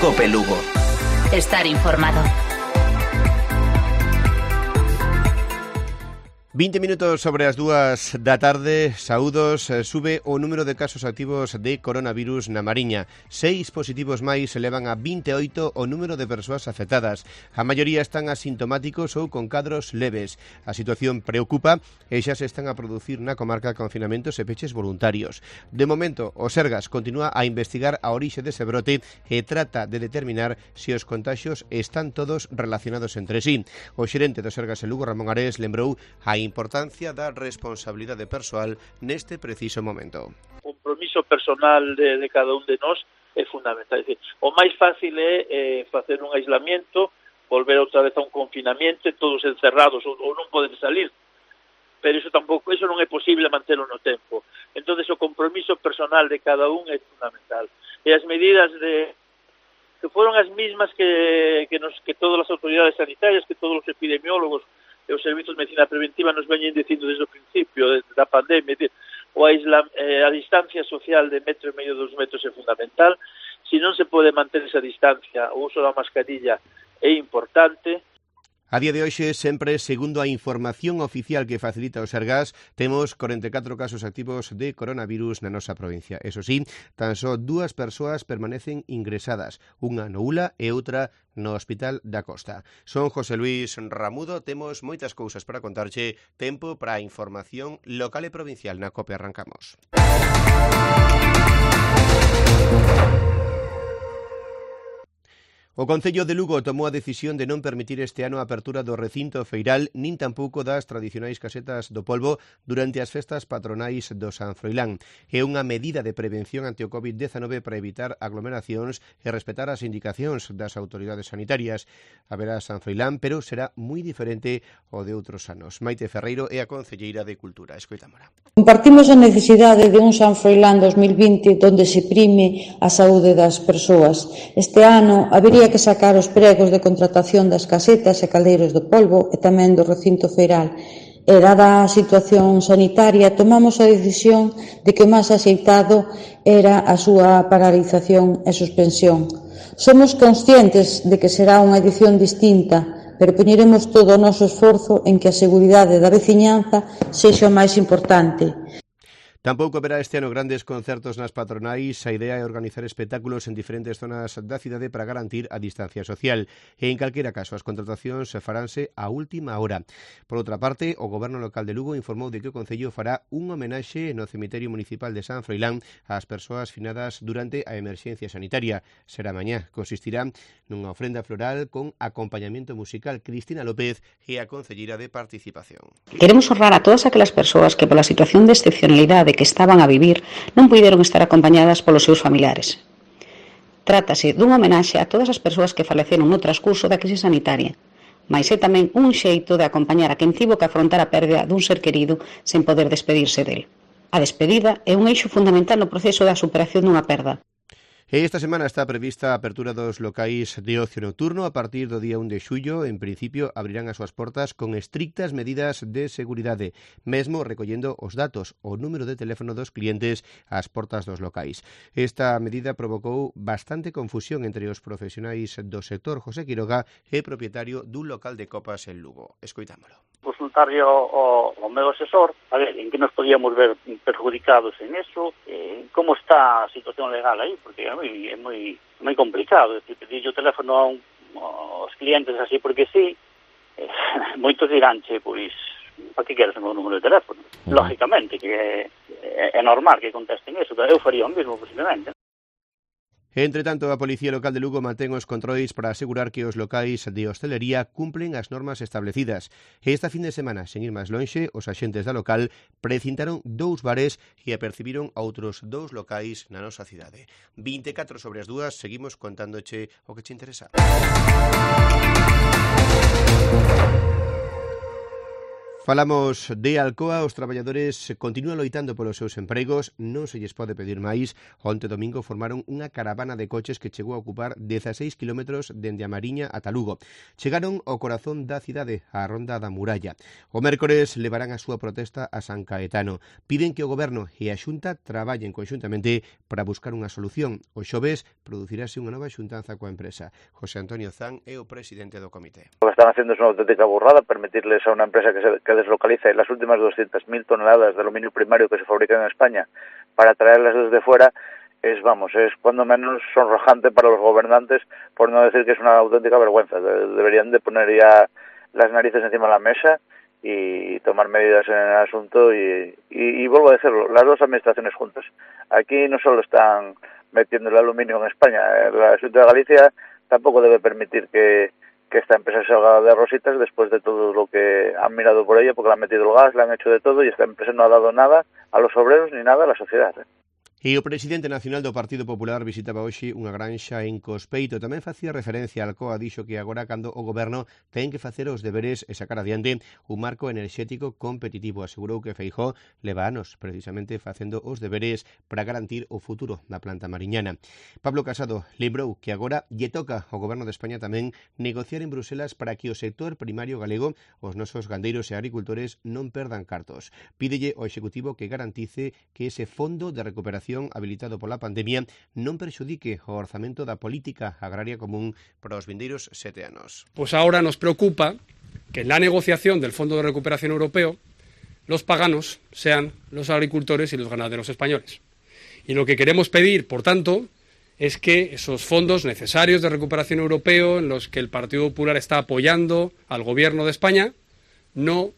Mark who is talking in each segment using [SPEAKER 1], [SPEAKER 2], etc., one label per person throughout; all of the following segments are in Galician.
[SPEAKER 1] Cope Lugo.
[SPEAKER 2] Estar informado.
[SPEAKER 3] 20 minutos sobre as 2 da tarde, saúdos, sube o número de casos activos de coronavirus na Mariña. 6 positivos máis elevan a 28 o número de persoas afectadas. A maioría están asintomáticos ou con cadros leves. A situación preocupa e xa se están a producir na comarca confinamentos e peches voluntarios. De momento, o Sergas continúa a investigar a orixe dese brote e trata de determinar se os contaxios están todos relacionados entre sí. O xerente do Sergas en Lugo, Ramón Ares, lembrou a importancia da responsabilidade persoal neste preciso momento.
[SPEAKER 4] O compromiso personal de cada un de nós é fundamental. É dicir, o máis fácil é facer un aislamiento, volver outra vez a un confinamento, todos encerrados ou non poden salir. Pero iso non é posible mantelo no tempo. Entonces o compromiso personal de cada un é fundamental. E as medidas que foron as mismas que todas as autoridades sanitarias, que todos os epidemiólogos e os servizos de medicina preventiva nos veñen dicindo desde o principio da pandemia, a distancia social de 1,5 metros, 2 metros é fundamental. Se non se pode manter esa distancia, o uso da mascarilla é importante.
[SPEAKER 3] A día de hoxe, sempre segundo a información oficial que facilita o Sergas, temos 44 casos activos de coronavirus na nosa provincia. Eso sí, tan só 2 persoas permanecen ingresadas, unha no Ula e outra no Hospital da Costa. Son José Luis Ramudo, temos moitas cousas para contarche, tempo para a información local e provincial. Na COPE arrancamos. O Concello de Lugo tomou a decisión de non permitir este ano a apertura do recinto feiral nin tampouco das tradicionais casetas do polvo durante as festas patronais do San Froilán. É unha medida de prevención ante o COVID-19 para evitar aglomeracións e respetar as indicacións das autoridades sanitarias. Haberá San Froilán, pero será moi diferente ao de outros anos. Maite Ferreiro é a concelleira de Cultura. Escoitámola.
[SPEAKER 5] Compartimos a necesidade de un San Froilán 2020 onde se prime a saúde das persoas. Este ano habería que sacar os pregos de contratación das casetas e caldeiros do polvo e tamén do recinto feiral. E dada a situación sanitaria, tomamos a decisión de que o máis axeitado era a súa paralización e suspensión. Somos conscientes de que será unha edición distinta, pero poñeremos todo o noso esforzo en que a seguridade da veciñanza sexa o máis importante.
[SPEAKER 3] Tampouco haberá este ano grandes concertos nas patronais. A idea é organizar espectáculos en diferentes zonas da cidade para garantir a distancia social. E, en calquera caso, as contratacións faránse a última hora. Por outra parte, o Goberno local de Lugo informou de que o Concello fará un homenaxe no cemiterio municipal de San Froilán ás persoas finadas durante a emerxencia sanitaria. Será mañá. Consistirá nunha ofrenda floral con acompañamento musical. Cristina López é a concelleira de Participación.
[SPEAKER 6] Queremos honrar a todas aquelas persoas que pola situación de excepcionalidade que estaban a vivir non puideron estar acompañadas polos seus familiares. Trátase dun homenaxe a todas as persoas que faleceron no transcurso da crise sanitaria, mais é tamén un xeito de acompañar a quen tivo que afrontar a pérdida dun ser querido sen poder despedirse del. A despedida é un eixo fundamental no proceso da superación dunha perda.
[SPEAKER 3] Esta semana está prevista a apertura dos locais de ocio nocturno. A partir do día 1 de xullo, en principio, abrirán as súas portas con estrictas medidas de seguridade, mesmo recollendo os datos, o número de teléfono dos clientes ás portas dos locais. Esta medida provocou bastante confusión entre os profesionais do sector. José Quiroga é propietario dun local de copas en Lugo. Escoitámolo.
[SPEAKER 7] Consultarlle ao meu asesor a ver en que nos podíamos ver perjudicados en eso, como está a situación legal aí, porque é moi complicado. Pedirlle o teléfono aos clientes así porque sí, moitos diránche, pois, para que queres o meu número de teléfono? Lógicamente, que é normal que contesten eso, eu faría o mesmo posiblemente.
[SPEAKER 3] Entre tanto, a Policía Local de Lugo mantén os controis para asegurar que os locais de hostelería cumplen as normas establecidas. Esta fin de semana, sen ir máis lonxe, os axentes da local precintaron 2 bares e apercibiron outros 2 locais na nosa cidade. 24 sobre as 2, seguimos contándoche o que te interesa. Falamos de Alcoa, os traballadores continúan loitando polos seus empregos, non se lles pode pedir máis. Onte domingo formaron unha caravana de coches que chegou a ocupar 16 kilómetros dende a Mariña ata Lugo. Chegaron ao corazón da cidade, á Ronda da Muralla. O mércores levarán a súa protesta a San Caetano. Piden que o Goberno e a Xunta traballen conxuntamente para buscar unha solución. O xoves producirase unha nova xuntanza coa empresa. José Antonio Zan é o presidente do comité.
[SPEAKER 1] Lo que están haciendo es una auténtica burrada, permitirles a una empresa que deslocalice las últimas 200.000 toneladas de aluminio primario que se fabrican en España para traerlas desde fuera, es cuando menos sonrojante para los gobernantes, por no decir que es una auténtica vergüenza. Deberían de poner ya las narices encima de la mesa y tomar medidas en el asunto y vuelvo a decirlo, las dos administraciones juntas. Aquí no solo están metiendo el aluminio en España, la Xunta de Galicia tampoco debe permitir que esta empresa salga de rositas después de todo lo que han mirado por ella, porque le han metido el gas, le han hecho de todo y esta empresa no ha dado nada a los obreros ni nada a la sociedad.
[SPEAKER 3] E o presidente nacional do Partido Popular visitaba hoxe unha granxa en Cospeito. Tamén facía referencia a Alcoa, dixo que agora cando o Goberno ten que facer os deberes e sacar adiante un marco enerxético competitivo. Asegurou que Feijóo leva anos precisamente facendo os deberes para garantir o futuro da planta mariñana. Pablo Casado lembrou que agora lle toca ao Goberno de España tamén negociar en Bruselas para que o sector primario galego, os nosos gandeiros e agricultores, non perdan cartos. Pídelle ao Executivo que garantice que ese fondo de recuperación habilitado pola pandemia non perxudique o orzamento da política agraria común para os vindeiros 7 anos.
[SPEAKER 8] Pues ahora nos preocupa que en la negociación del Fondo de Recuperación Europeo los paganos sean los agricultores y los ganaderos españoles. Y lo que queremos pedir, por tanto, es que esos fondos necesarios de recuperación europeo en los que el Partido Popular está apoyando al Gobierno de España no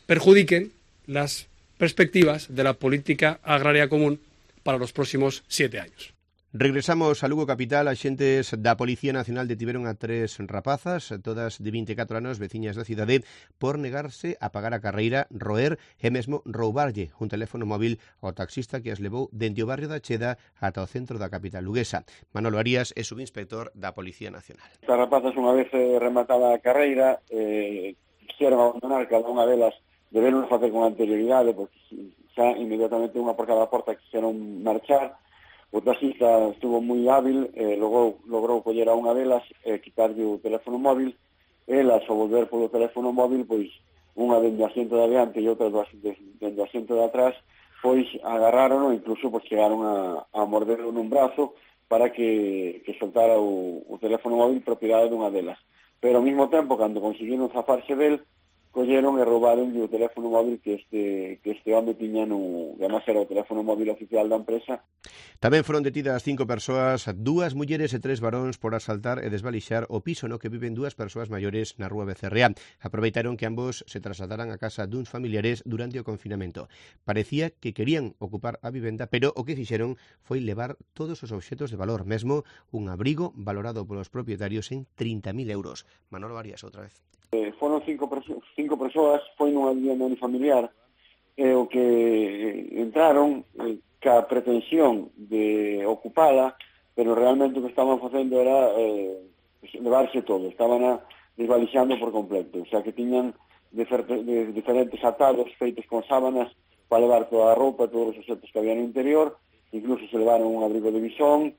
[SPEAKER 8] perjudiquen las perspectivas de la política agraria común para los próximos 7 años.
[SPEAKER 3] Regresamos a Lugo capital. Axentes da Policía Nacional detiveron a 3 rapazas, todas de 24 anos, veciñas da cidade, por negarse a pagar a carreira, roer e mesmo roubarlle un teléfono móvil ao taxista que as levou dende o barrio da Cheda ata o centro da capital luguesa. Manolo Arias é subinspector da Policía Nacional.
[SPEAKER 9] As rapazas, unha vez rematada a carreira, quixeron abandonar cada unha delas, deberon facer con anterioridade, porque xa inmediatamente unha por cada porta quixeron marchar. O taxista estuvo moi hábil, logrou coller a unha delas e quitarlle o teléfono móvil. Elas, ao volver polo teléfono móvil, pois unha dende o asiento de adiante e outra dende o asiento de atrás, pois agarraron e incluso pois chegaron a morderlo nun brazo para que soltara o teléfono móvil propiedade dunha delas. Pero ao mesmo tempo, cando conseguiron zafarse del, colleron e roubaron o teléfono móvil que este home tiña que además era o teléfono móvil oficial da empresa.
[SPEAKER 3] Tamén foron detidas 5 persoas, 2 mulleres e 3 varóns por asaltar e desvalixar o piso no que viven 2 persoas maiores na rúa Becerrea. Aproveitaron que ambos se trasladaran a casa duns familiares durante o confinamento. Parecía que querían ocupar a vivenda, pero o que fixeron foi levar todos os obxetos de valor, mesmo un abrigo valorado polos propietarios en 30.000 euros. Manolo Arias, outra vez.
[SPEAKER 9] Foron 5 persoas, foi nunha vivienda unifamiliar, o que entraron ca pretensión de ocupala, pero realmente o que estaban facendo era levarse todo, estaban desvalixando por completo, o sea que tiñan diferentes atados feitos con sábanas para levar toda a roupa, todos os objetos que había no interior, incluso se levaron un abrigo de bisón,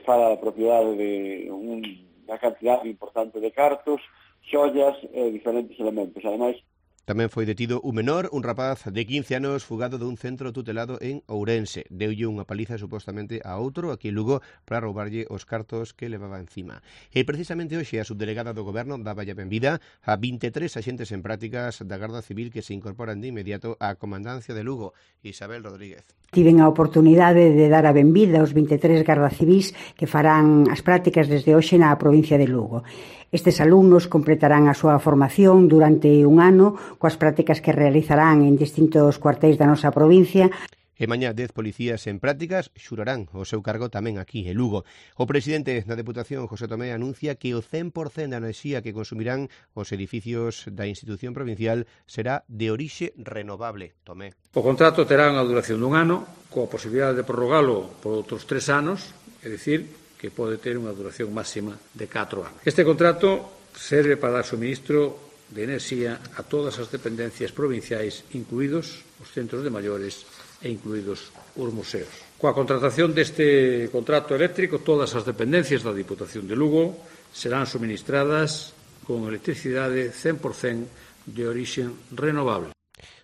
[SPEAKER 9] fala da propiedade de unha cantidad importante de cartos, xollas e diferentes elementos. Ademais,
[SPEAKER 3] tamén foi detido un menor, un rapaz de 15 anos fugado dun centro tutelado en Ourense. Deulle unha paliza supostamente a outro aquí en Lugo para roubarlle os cartos que levaba encima. E precisamente hoxe a subdelegada do Goberno daba a benvida a 23 axentes en prácticas da Garda Civil que se incorporan de inmediato á comandancia de Lugo. Isabel Rodríguez.
[SPEAKER 10] Tiven a oportunidade de dar a benvida aos 23 garda civís que farán as prácticas desde hoxe na provincia de Lugo. Estes alumnos completarán a súa formación durante un ano coas prácticas que realizarán en distintos cuartéis da nosa provincia.
[SPEAKER 3] E mañá 10 policías en prácticas xurarán o seu cargo tamén aquí en Lugo. O presidente da Deputación, José Tomé, anuncia que o 100% da enerxía que consumirán os edificios da institución provincial será de orixe renovable. Tomé.
[SPEAKER 11] O contrato terá unha duración dun ano, coa posibilidade de prorrogalo por outros 3 anos, é dicir, que pode ter unha duración máxima de 4 anos. Este contrato serve para dar suministro de enerxía a todas as dependencias provinciais, incluídos os centros de maiores e incluídos os museos. Coa contratación deste contrato eléctrico, todas as dependencias da Diputación de Lugo serán suministradas con electricidade 100% de orixen renovable.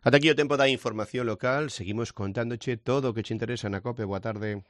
[SPEAKER 3] Ata aquí o tempo da información local. Seguimos contándoche todo o que che interesa na COPE. Boa tarde.